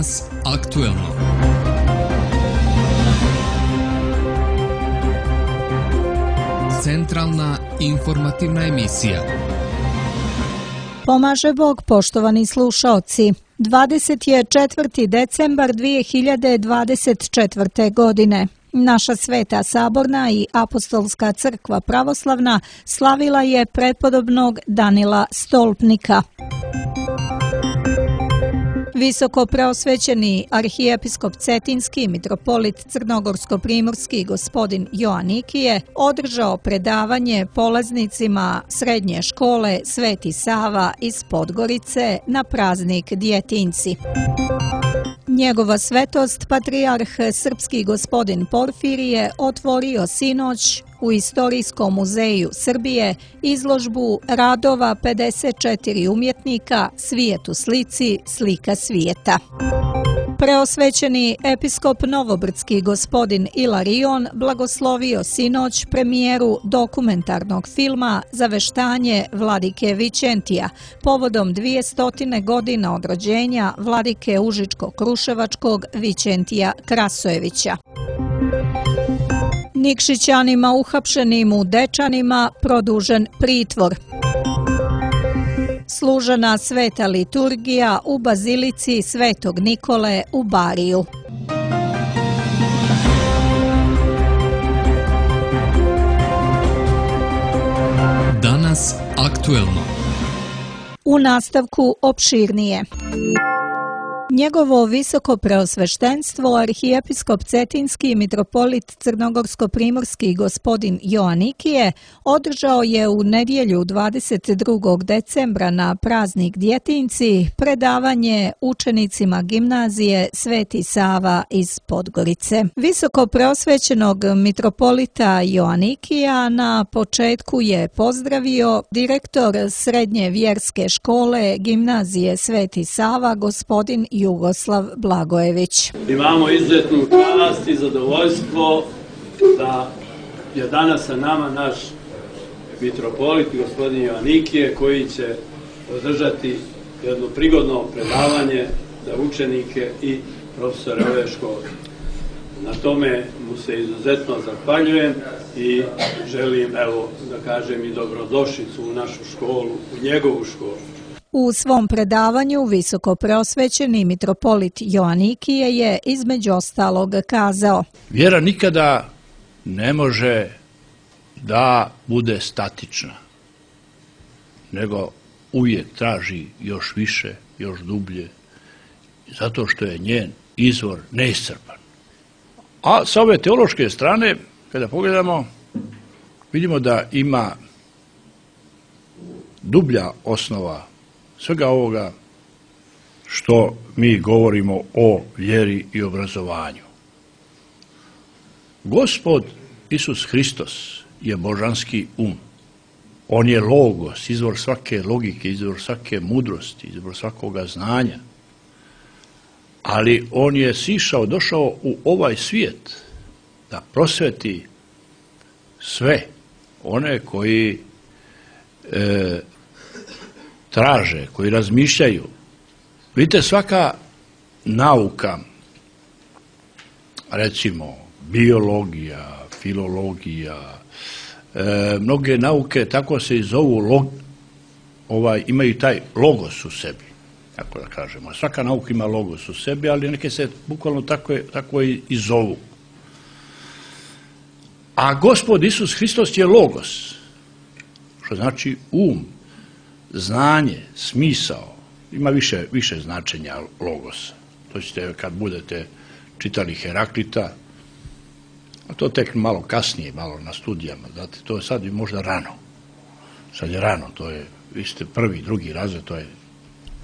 Danas aktuelno. Centralna informativna emisija. Pomaže Bog, poštovani slušaoci. 24. decembar 2024. godine. Naša Sveta Saborna i Apostolska crkva pravoslavna slavila je prepodobnog Danila Stolpnika. Visoko preosvećeni arhijepiskop Cetinski mitropolit Crnogorsko-primorski gospodin Joanikije održao predavanje polaznicima srednje škole Sveti Sava iz Podgorice na praznik Djetinjci. Njegova svetost, patrijarh srpski gospodin Porfirije, otvorio sinoć u Istorijskom muzeju Srbije izložbu radova 54 umjetnika Svijet u slici, slika svijeta. Preosvećeni episkop Novobrdski gospodin Ilarion blagoslovio sinoć premijeru dokumentarnog filma Zaveštanje vladike Vičentija povodom 200 godina od rođenja vladike Užičko-Kruševačkog Vičentija Krasojevića. Nikšićanima uhapšenim u Dečanima produžen pritvor. Služena sveta liturgija u bazilici Svetog Nikole u Bariju. Danas aktuelno. U nastavku opširnije. Njegovo visoko preosveštenstvo, arhijepiskop Cetinski mitropolit Crnogorsko-primorski gospodin Joanikije održao je u nedjelju 22. decembra na praznik Djetinjci predavanje učenicima gimnazije Sveti Sava iz Podgorice. Visoko preosvećenog mitropolita Joanikija na početku je pozdravio direktor srednje vjerske škole gimnazije Sveti Sava gospodin Jugoslav Blagojević. Imamo izuzetnu čast i zadovoljstvo da je danas sa nama naš mitropolit gospodin Joanikije koji će održati jedno prigodno predavanje za učenike i profesore ove škole. Na tome mu se izuzetno zahvaljujem i želim, evo, da kažem i dobrodošlicu u našu školu, u njegovu školu. U svom predavanju visoko preosvećeni mitropolit Joanikije je između ostalog kazao: Vjera nikada ne može da bude statična, nego uvijek traži još više, još dublje, zato što je njen izvor neiscrpan. A sa ove teološke strane, kada pogledamo, vidimo da ima dublja osnova svega ovoga što mi govorimo o vjeri i obrazovanju. Gospod Isus Hristos je božanski um. On je logos, izvor svake logike, izvor svake mudrosti, izvor svakoga znanja. Ali on je sišao, došao u ovaj svijet da prosveti sve one koji traže, koji razmišljaju. Vidite, svaka nauka, recimo biologija, filologija, mnoge nauke tako se i zovu, imaju taj logos u sebi, tako da kažemo. Svaka nauka ima logos u sebi, ali neke se bukvalno tako i zovu. A Gospod Isus Hristos je logos, što znači um, znanje, smisao. Ima više značenja logosa. To ćete kad budete čitali Heraklita, a to tek malo kasnije, malo na studijama. Znate, to je sad možda rano. Sad je rano, to je, vi ste prvi, drugi razred, to je.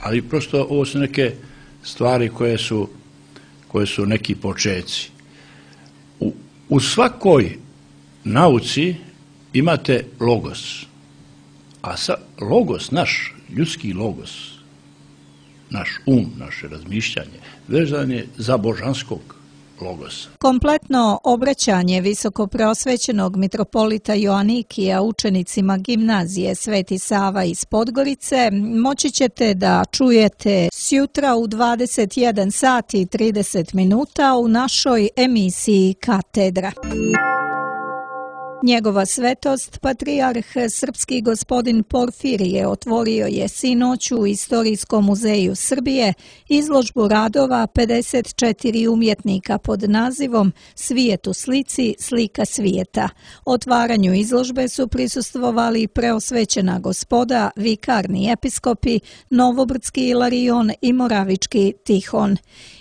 Ali prosto ovo su neke stvari koje su neki počeci. U svakoj nauci imate logos. A logos, naš ljudski logos, naš naše razmišljanje, vezan je za božanskog logos. Kompletno obraćanje visokopreosvećenog mitropolita Joanikija učenicima gimnazije Sveti Sava iz Podgorice moći ćete da čujete sjutra u 21 sat i 30 minuta u našoj emisiji Katedra. Njegova svetost, patrijarh srpski gospodin Porfirije, otvorio je sinoć u Istorijskom muzeju Srbije izložbu radova 54 umjetnika pod nazivom Svijet u slici, slika svijeta. Otvaranju izložbe su prisustvovali preosvećena gospoda, vikarni episkopi, Novobrdski Ilarion i Moravički Tihon.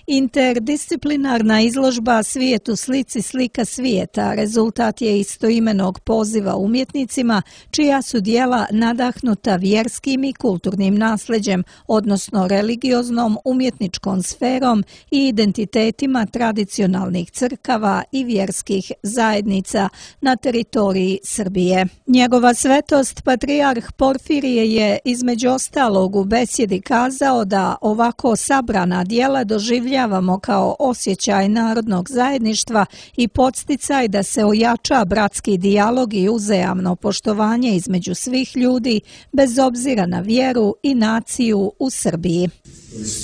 Interdisciplinarna izložba Svijet u slici, slika svijeta rezultat je istoimenog poziva umjetnicima čija su djela nadahnuta vjerskim i kulturnim nasljeđem, odnosno religioznom, umjetničkom sferom i identitetima tradicionalnih crkava i vjerskih zajednica na teritoriji Srbije. Njegova svetost, patrijarh Porfirije, je između ostalog u besjedi kazao da ovako sabrana djela doživljavamo kao osjećaj narodnog zajedništva i podsticaj da se ojača bratski dijalog i uzajamno poštovanje između svih ljudi bez obzira na vjeru i naciju u Srbiji.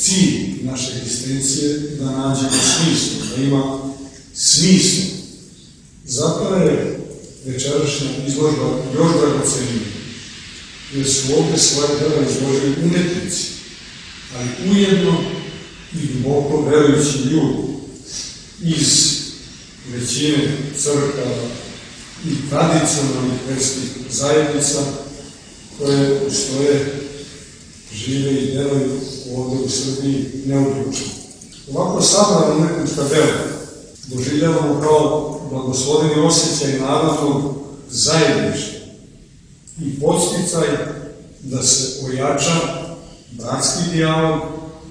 Cilj naše egzistencije da nađemo smislu, da ima smislu. Zato je večerašnja izložba još dragocenija, jer su ovdje svoje djela izložili umjetnici, ali ujedno i duboko verujući ljudi iz većine crkava i tradicionalnih verskih zajednica koje ustoje, žive i deluju ovdje u Srbiji neuključeno. Ovako sabrana umjetnička dela doživljavamo kao blagosloveni osjećaj narodnog zajedništva i podsticaj da se ojača bratski dijalog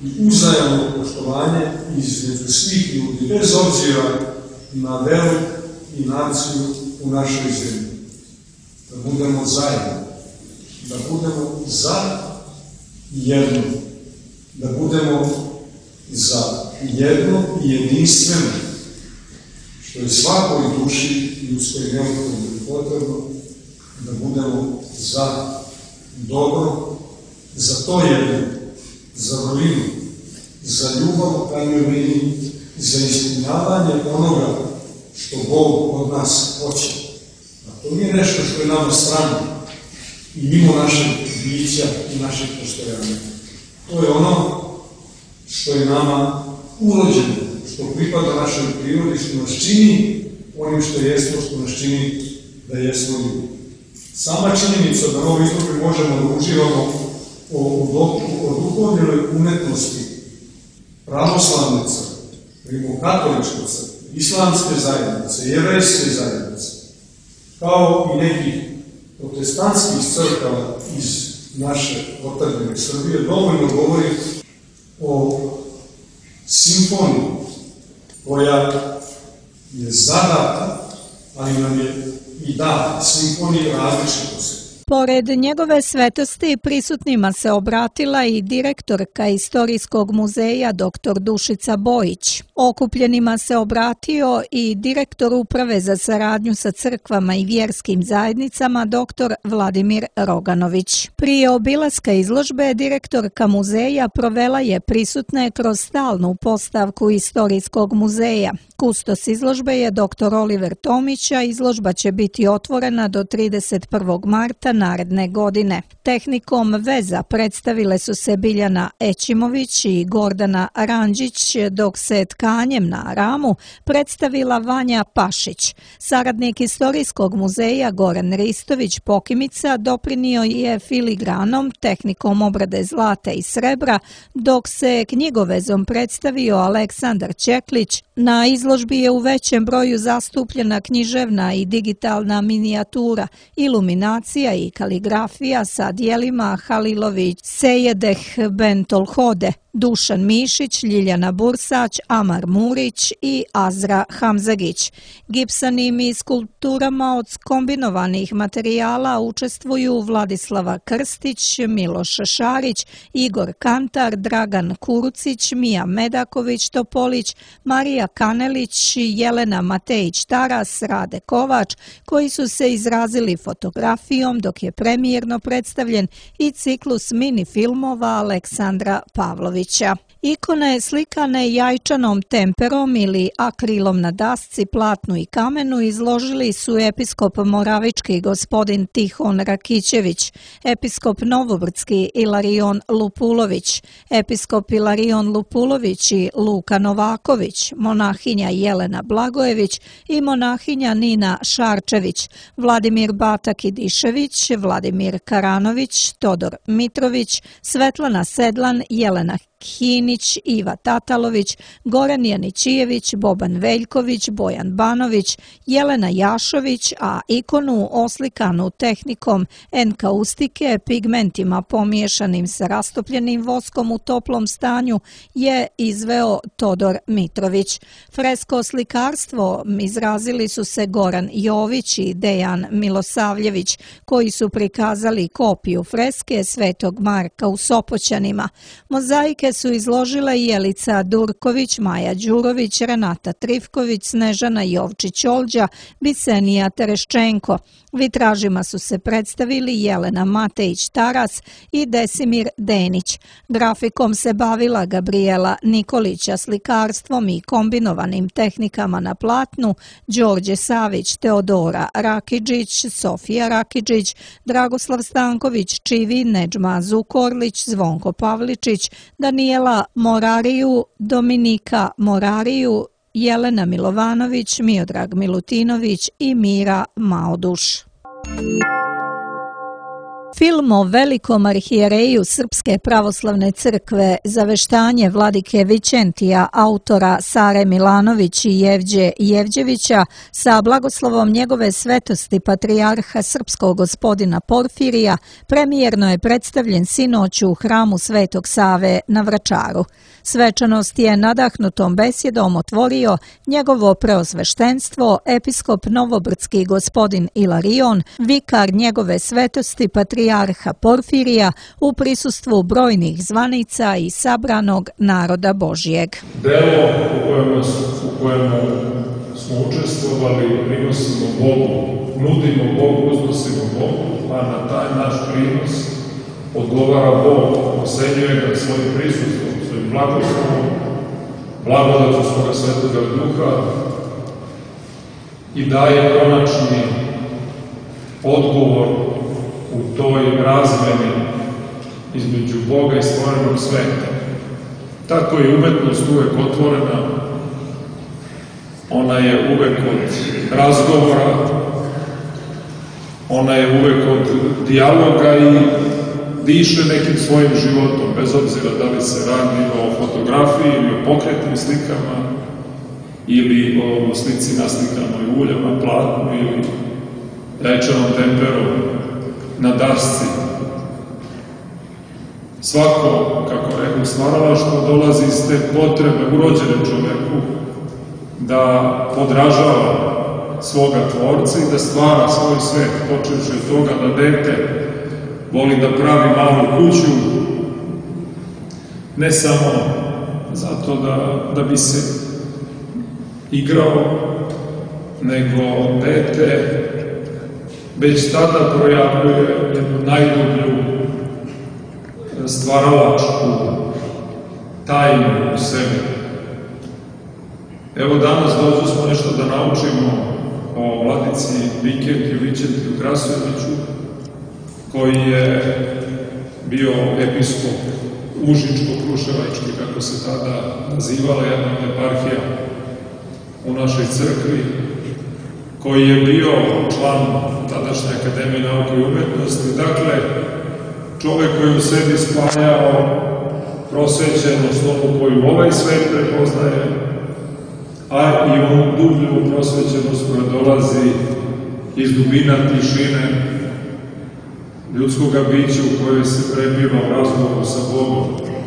i uzajamno poštovanje između svih ljudi, bez obzira na veru i naciju u našoj zemlji. Da budemo zajedno, da budemo za jedno, da budemo za jedno i jedinstveno, što je svakoj duši ljudskoj neophodno i potrebno, da budemo za dobro, za to jedno, za vrlinu, za ljubav u krajnjoj liniji, za ispunjavanje onoga što Bog od nas hoće. A to nije nešto što je nama strano i mimo našeg bića i našeg postojanja. To je ono što je nama urođeno, što pripada našoj prirodi, što nas čini onim što jesmo, što nas čini da jesmo ljudi. Sama činjenica da na ovoj izložbi možemo da uživamo o duhovnoj umetnosti pravoslavne crkve, rimokatoličke crkve, islamske zajednice, jevrejske zajednice, kao i nekih protestantskih crkava iz naše otadžbine Srbije, dovoljno govori o simfoniji koja je zadata, ali nam je i data, simfoniji različitosti. Pored njegove svetosti prisutnima se obratila i direktorka Istorijskog muzeja dr. Dušica Bojić. Okupljenima se obratio i direktor Uprave za saradnju sa crkvama i vjerskim zajednicama dr. Vladimir Roganović. Prije obilaska izložbe direktorka muzeja provela je prisutne kroz stalnu postavku Istorijskog muzeja. Kustos izložbe je dr. Oliver Tomić, a izložba će biti otvorena do 31. marta naredne godine. Tehnikom veza predstavile su se Biljana Ećimović i Gordana Ranđić, dok se tkanjem na ramu predstavila Vanja Pašić. Saradnik Istorijskog muzeja Goran Ristović Pokimica doprinio je filigranom, tehnikom obrade zlata i srebra, dok se knjigovezom predstavio Aleksandar Čeklić. Na izložbi je u većem broju zastupljena književna i digitalna minijatura, iluminacija i kaligrafija sa dijelima Halilović Sejedeh Ben Tolhode. Dušan Mišić, Ljiljana Bursać, Amar Murić i Azra Hamzagić. Gipsanim i skulpturama od kombinovanih materijala učestvuju Vladislava Krstić, Miloš Šarić, Igor Kantar, Dragan Kurucić, Mija Medaković-Topolić, Marija Kanelić, Jelena Matejić-Taras, Rade Kovač, koji su se izrazili fotografijom, dok je premijerno predstavljen i ciklus mini filmova Aleksandra Pavlovića. Ikone slikane jajčanom temperom ili akrilom na dasci, platnu i kamenu izložili su episkop moravički gospodin Tihon Rakićević, episkop novobrdski Ilarion Lupulović, episkop Ilarion Lupulović i Luka Novaković, monahinja Jelena Blagojević i monahinja Nina Šarčević, Vladimir Batak-Idišević, Vladimir Karanović, Todor Mitrović, Svetlana Sedlan, Jelena Hinić, Iva Tatalović, Goran Janićijević, Boban Veljković, Bojan Banović, Jelena Jašović, a ikonu oslikanu tehnikom enkaustike, pigmentima pomiješanim sa rastopljenim voskom u toplom stanju je izveo Todor Mitrović. Fresko slikarstvo izrazili su se Goran Jović i Dejan Milosavljević, koji su prikazali kopiju freske Svetog Marka u Sopoćanima. Mozaike su izložile Jelica Durković, Maja Đurović, Renata Trifković, Snežana Jovčić-Olđa, Bisenija Tereščenko. Vitražima su se predstavili Jelena Matejić-Taras i Desimir Denić. Grafikom se bavila Gabriela Nikolića, slikarstvom i kombinovanim tehnikama na platnu Đorđe Savić, Teodora Rakidžić, Sofija Rakidžić, Dragoslav Stanković, Čivi, Nedžma Zukorlić, Zvonko Pavličić, Danijela Morariju, Dominika Morariju, Jelena Milovanović, Miodrag Milutinović i Mira Maoduš. Film o velikom arhijereju Srpske pravoslavne crkve Zaveštanje vladike Vićentija autora Sare Milanović i Jevđe Jevđevića sa blagoslovom njegove svetosti patrijarha srpskog gospodina Porfirija premijerno je predstavljen sinoć u hramu Svetog Save na Vračaru. Svečanost je nadahnutom besjedom otvorio njegovo preosveštenstvo, episkop novobrdski gospodin Ilarion, vikar njegove svetosti patrijarha Porfirija u prisustvu brojnih zvanica i sabranog naroda Božijeg. Delo u kojemu smo učestvovali, prinosimo Bogu, nudimo Bogu, uznosimo Bogu, a na taj naš prinos odgovara Bog, osenjuje ga svojim prisustvom, svojim blagoslovom, blagodatu svoga Svetoga Duha i daje konačni odgovor u toj razmeni između Boga i stvorenog sveta. Tako je umetnost uvek otvorena, ona je uvek od razgovora, ona je uvek od dijaloga i diše nekim svojim životom, bez obzira da li se radi o fotografiji ili o pokretnim slikama ili o slici naslikanoj uljem na platnu ili jajčanom temperom na dasci. Svako, kako rekao, stvaralaštvo dolazi iz te potrebe urođene čoveku da podražava svoga tvorca i da stvara svoj svet, počevši od toga da dete voli da pravi malu kuću, ne samo zato da bi se igrao, nego dete već tada projavljuje jednu najdublju stvaralačku tajnu u sebi. Evo danas dođu smo nešto da naučimo o vladici Vikentiju Vićentiju Krasojeviću, koji je bio episkop Užičko-Kruševački, kako se tada nazivala jedna od eparhija u našoj crkvi, koji je bio član tadašnje Akademije nauke i umetnosti. Dakle, čovek koji u sebi spajao prosvećenost, onu koju ovaj svet prepoznaje, a i onu dublju prosvećenost koja dolazi iz dubina tišine ljudskog bića u kojoj se prebiva u razgovoru sa Bogom.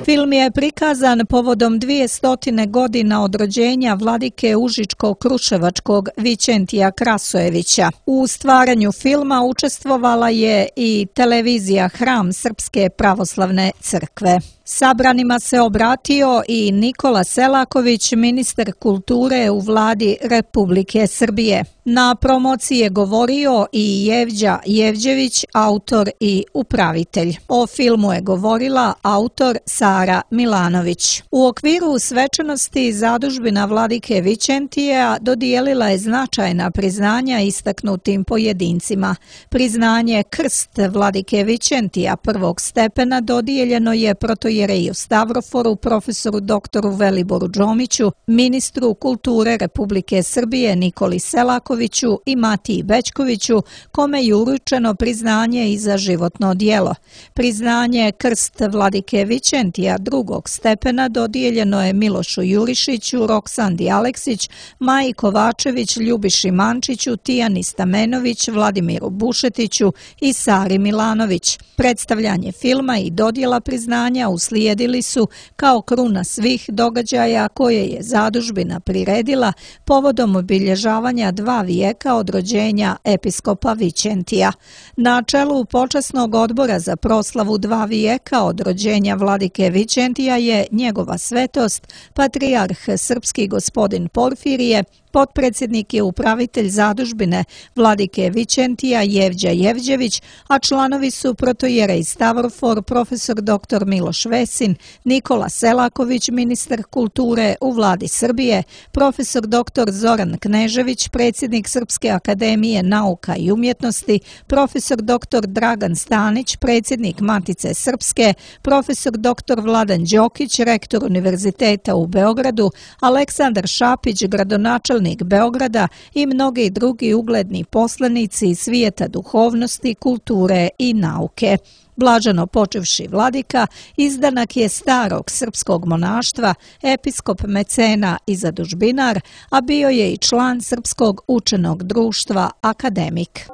Film je prikazan povodom 200 godina od rođenja vladike Užičko-Kruševačkog Vićentija Krasojevića. U stvaranju filma učestvovala je i televizija Hram Srpske pravoslavne crkve. Sabranima se obratio i Nikola Selaković, ministar kulture u vladi Republike Srbije. Na promociji je govorio i Jevđa Jevđević, autor i upravitelj. O filmu je govorila autor Sara Milanović. U okviru svečanosti zadužbina vladike Vićentija dodijelila je značajna priznanja istaknutim pojedincima. Priznanje Krst vladike Vićentija prvog stepena dodijeljeno je protojereju Stavroforu, profesoru doktoru Veliboru Džomiću, ministru kulture Republike Srbije Nikoli Selakoviću i Matiji Bećkoviću, kome je uručeno priznanje i za životno djelo. Priznanje Krst vladike Vićentija drugog stepena dodijeljeno je Milošu Jurišiću, Roksandi Aleksić, Maji Kovačević, Ljubiši Mančiću, Tijani Stamenović, Vladimiru Bušetiću i Sari Milanović. Predstavljanje filma i dodjela priznanja uslijedili su kao kruna svih događaja koje je zadužbina priredila povodom obilježavanja 2 vijeka od rođenja episkopa Vićentija. Na čelu počasnog odbora za proslavu 2 vijeka od rođenja vladike Vićentija je njegova svetost, patrijarh srpski gospodin Porfirije, potpredsjednik je upravitelj zadužbine vladike Vićentija Jevđa Jevđević, a članovi su protojerej Stavrofor, profesor dr. Miloš Vesin, Nikola Selaković, ministar kulture u vladi Srbije, profesor dr. Zoran Knežević, predsjednik Srpske akademije nauka i umjetnosti, profesor dr. Dragan Stanić, predsjednik Matice Srpske, profesor dr. Vladan Đokić, rektor Univerziteta u Beogradu, Aleksandar Šapić, gradonačelnik Beograda i mnogi drugi ugledni poslanici iz svijeta duhovnosti, kulture i nauke. Blaženo počevši vladika, izdanak je starog srpskog monaštva, episkop mecena i zadužbinar, a bio je i član Srpskog učenog društva Akademik.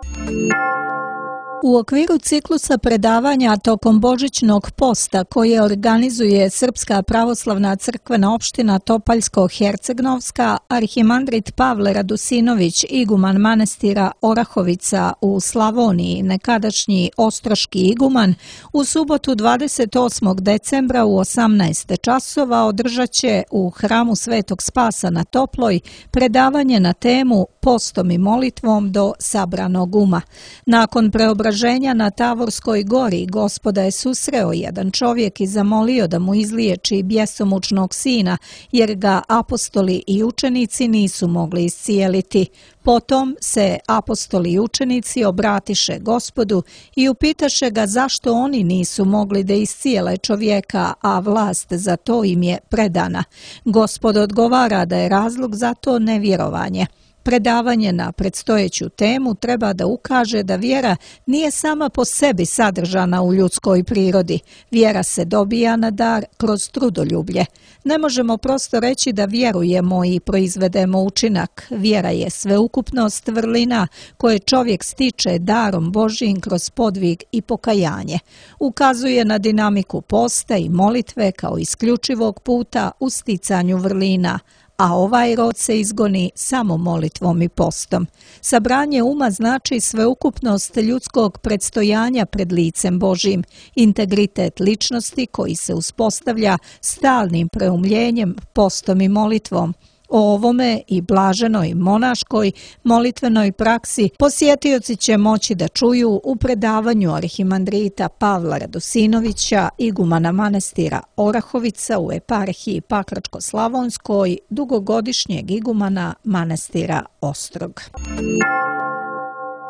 U okviru ciklusa predavanja tokom Božićnog posta koje organizuje Srpska pravoslavna crkvena opština Topaljsko-Hercegnovska, arhimandrit Pavle Radusinović, iguman manastira Orahovica u Slavoniji, nekadašnji ostroški iguman, u subotu 28. decembra u 18 časova održat će u hramu Svetog Spasa na Toploj predavanje na temu Postom i molitvom do sabranog uma. Nakon preobraženja na Tavorskoj gori Gospoda je susreo jedan čovjek i zamolio da mu izliječi bjesomučnog sina, jer ga apostoli i učenici nisu mogli iscijeliti. Potom se apostoli i učenici obratiše Gospodu i upitaše ga zašto oni nisu mogli da iscijele čovjeka, a vlast za to im je predana. Gospod odgovara da je razlog za to nevjerovanje. Predavanje na predstojeću temu treba da ukaže da vjera nije sama po sebi sadržana u ljudskoj prirodi. Vjera se dobija na dar kroz trudoljublje. Ne možemo prosto reći da vjerujemo i proizvedemo učinak. Vjera je sveukupnost vrlina koje čovjek stiče darom Božjim kroz podvig i pokajanje. Ukazuje na dinamiku posta i molitve kao isključivog puta u sticanju vrlina, a ovaj rod se izgoni samo molitvom i postom. Sabranje uma znači sveukupnost ljudskog predstojanja pred licem Božjim, integritet ličnosti koji se uspostavlja stalnim preumljenjem, postom i molitvom. O ovome i blaženoj monaškoj molitvenoj praksi posjetioci će moći da čuju u predavanju arhimandrita Pavla Radusinovića, igumana manastira Orahovica u eparhiji Pakračko-Slavonskoj, dugogodišnjeg igumana manastira Ostrog.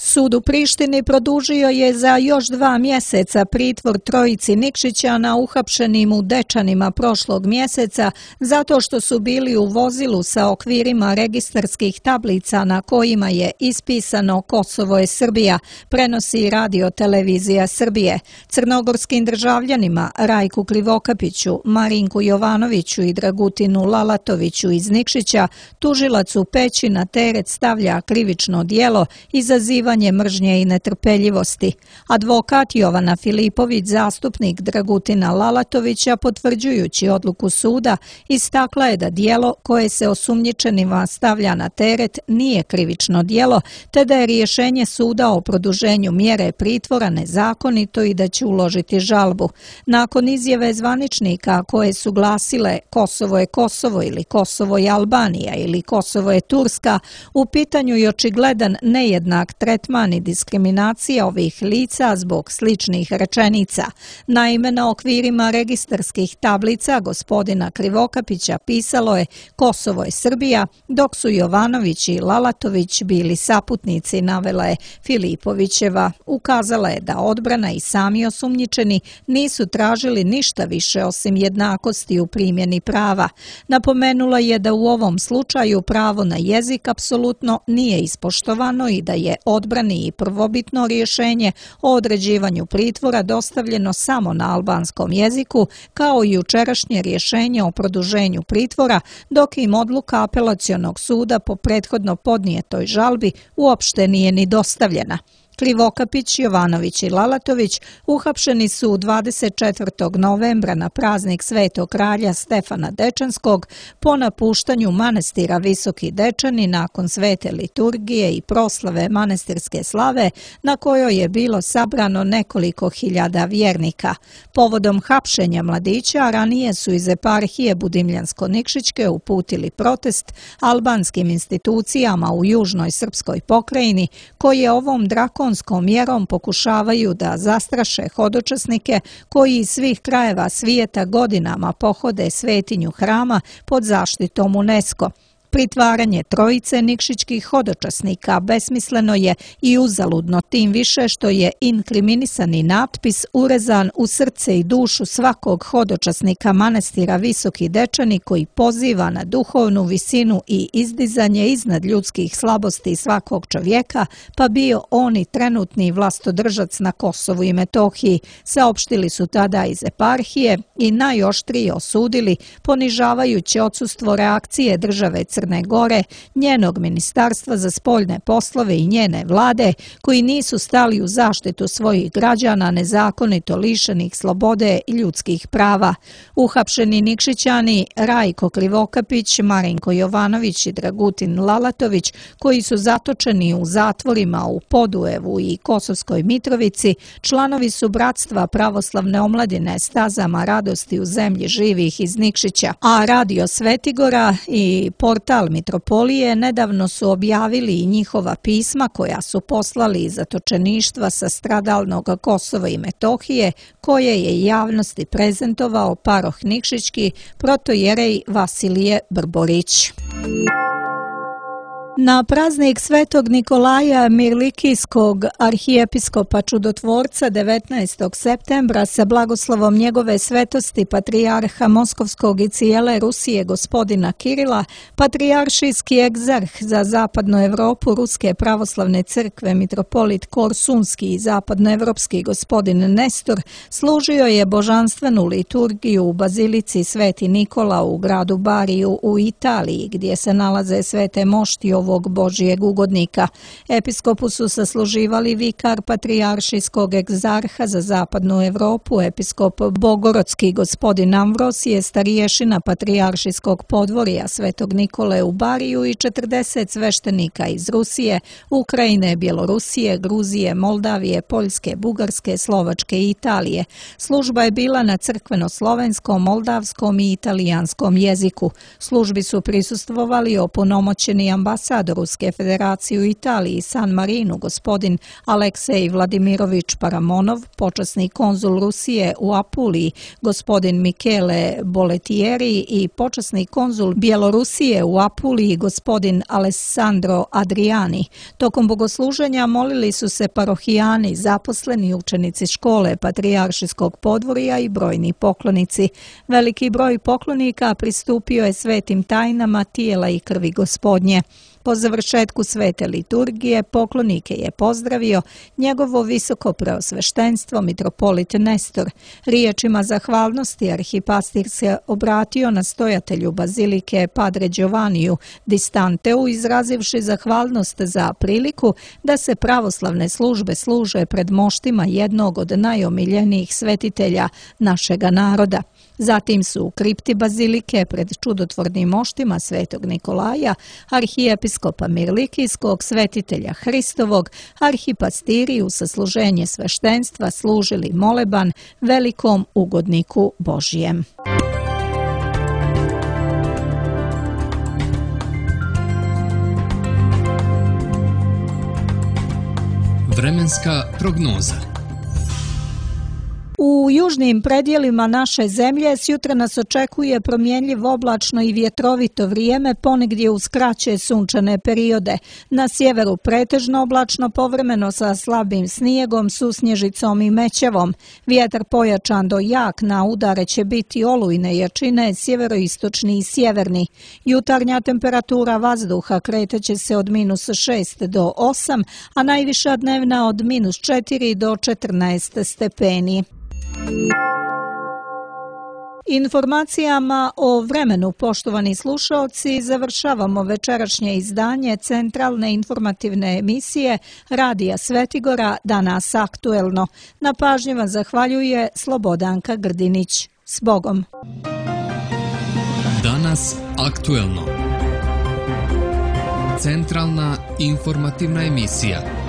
Sud u Prištini produžio je za još 2 mjeseca pritvor trojici Nikšićana uhapšenim u Dečanima prošlog mjeseca zato što su bili u vozilu sa okvirima registarskih tablica na kojima je ispisano Kosovo je Srbija, prenosi Radio Televizija Srbije. Crnogorskim državljanima Rajku Krivokapiću, Marinku Jovanoviću i Dragutinu Lalatoviću iz Nikšića tužilac u Peći na teret stavlja krivično djelo izazivanja izazivanje mržnje i netrpeljivosti. Advokat Jovana Filipović, zastupnik Dragutina Lalatovića, potvrđujući odluku suda, istakla je da djelo koje se osumnjičenima stavlja na teret nije krivično djelo, te da je rješenje suda o produženju mjere pritvora nezakonito i da će uložiti žalbu. Nakon izjave zvaničnika koje su glasile Kosovo je Kosovo ili Kosovo je Albanija ili Kosovo je Turska, u pitanju je očigledan nejednak tretman i diskriminacija ovih lica zbog sličnih rečenica. Naime, na okvirima registarskih tablica gospodina Krivokapića pisalo je Kosovo je Srbija, dok su Jovanović i Lalatović bili saputnici, navela je Filipovićeva. Ukazala je da odbrana i sami osumnjičeni nisu tražili ništa više osim jednakosti u primjeni prava. Napomenula je da u ovom slučaju pravo na jezik apsolutno nije ispoštovano i da je odbrani i prvobitno rješenje o određivanju pritvora dostavljeno samo na albanskom jeziku, kao i jučerašnje rješenje o produženju pritvora, dok im odluka apelacionog suda po prethodno podnijetoj žalbi uopšte nije ni dostavljena. Krivokapić, Jovanović i Lalatović uhapšeni su 24. novembra na praznik Svetog kralja Stefana Dečanskog po napuštanju manastira Visoki Dečani nakon svete liturgije i proslave manastirske slave na kojoj je bilo sabrano nekoliko hiljada vjernika. Povodom hapšenja mladića ranije su iz eparhije Budimljansko-Nikšićke uputili protest albanskim institucijama u južnoj srpskoj pokrajini koje ovom drakonskom mjerom pokušavaju da zastraše hodočasnike koji iz svih krajeva svijeta godinama pohode svetinju hrama pod zaštitom UNESCO. Pritvaranje trojice nikšićkih hodočasnika besmisleno je i uzaludno, tim više što je inkriminisani natpis urezan u srce i dušu svakog hodočasnika manastira Visoki Dečani koji poziva na duhovnu visinu i izdizanje iznad ljudskih slabosti svakog čovjeka, pa bio on i trenutni vlastodržac na Kosovu i Metohiji, saopštili su tada iz eparhije i najoštrije osudili ponižavajuće odsustvo reakcije države Crne Gore, njenog ministarstva za spoljne poslove i njene vlade, koji nisu stali u zaštitu svojih građana nezakonito lišenih slobode i ljudskih prava. Uhapšeni Nikšićani Rajko Krivokapić, Marinko Jovanović i Dragutin Lalatović, koji su zatočeni u zatvorima u Podujevu i Kosovskoj Mitrovici, članovi su Bratstva pravoslavne omladine Stazama radosti u zemlji živih iz Nikšića, a Radio Svetigora i portal Mitropolije nedavno su objavili i njihova pisma koja su poslali iz zatočeništva sa stradalnog Kosova i Metohije, koje je javnosti prezentovao paroh Nikšićki protojerej Vasilije Brborić. Na praznik Svetog Nikolaja Mirlikijskog arhijepiskopa čudotvorca 19. septembra sa blagoslovom njegove svetosti patrijarha Moskovskog i cijele Rusije gospodina Kirila, patrijaršijski egzarh za zapadnu Europu Ruske pravoslavne crkve mitropolit Korsunski i zapadnoevropski gospodin Nestor služio je božanstvenu liturgiju u bazilici Sveti Nikola u gradu Bariju u Italiji, gdje se nalaze svete mošti ovog Božijeg ugodnika. Episkopu su sasluživali vikar patrijaršijskog egzarha za zapadnu Europu, episkop Bogorodski gospodin Amvrosije, starješina patrijaršijskog podvorja Svetog Nikole u Bariju i 40 sveštenika iz Rusije, Ukrajine, Bjelorusije, Gruzije, Moldavije, Poljske, Bugarske, Slovačke i Italije. Služba je bila na crkveno-slovenskom, moldavskom i italijanskom jeziku. Službi su prisustvovali opunomoćeni ambasador Ruske federacije u Italiji San Marinu gospodin Aleksej Vladimirović Paramonov, počasni konzul Rusije u Apuliji gospodin Michele Boletieri i počasni konzul Bjelorusije u Apuliji gospodin Alessandro Adriani. Tokom bogosluženja molili su se parohijani, zaposleni učenici škole patrijaršijskog podvorja i brojni poklonici. Veliki broj poklonika pristupio je svetim tajnama tijela i krvi gospodnje. Po završetku svete liturgije poklonike je pozdravio njegovo visoko preosveštenstvo mitropolit Nestor. Riječima zahvalnosti arhipastir se obratio nastojatelju bazilike Padre Giovanniju Distanteu, izrazivši zahvalnost za priliku da se pravoslavne službe služe pred moštima jednog od najomiljenijih svetitelja našega naroda. Zatim su u kripti bazilike pred čudotvornim moštima svetog Nikolaja, arhijepiskopa Mirlikijskog, svetitelja Hristovog, arhipastiri u sasluženje sveštenstva služili moleban velikom ugodniku Božijem. Vremenska prognoza. U južnim predjelima naše zemlje sjutra nas očekuje promjenljiv oblačno i vjetrovito vrijeme, ponegdje uz kraće sunčane periode. Na sjeveru pretežno oblačno, povremeno sa slabim snijegom, susnježicom i mećavom. Vjetar pojačan do jak, na udare će biti olujne jačine, sjeveroistočni i sjeverni. Jutarnja temperatura vazduha kreteće se od -6 do 8, a najviša dnevna od -4 do 14 stepeni. Informacijama o vremenu, poštovani slušaoci, završavamo večerašnje izdanje centralne informativne emisije Radija Svetigora Danas aktuelno. Na pažnji vam zahvaljuje Slobodanka Grdinić. S Bogom! Danas aktuelno. Centralna informativna emisija.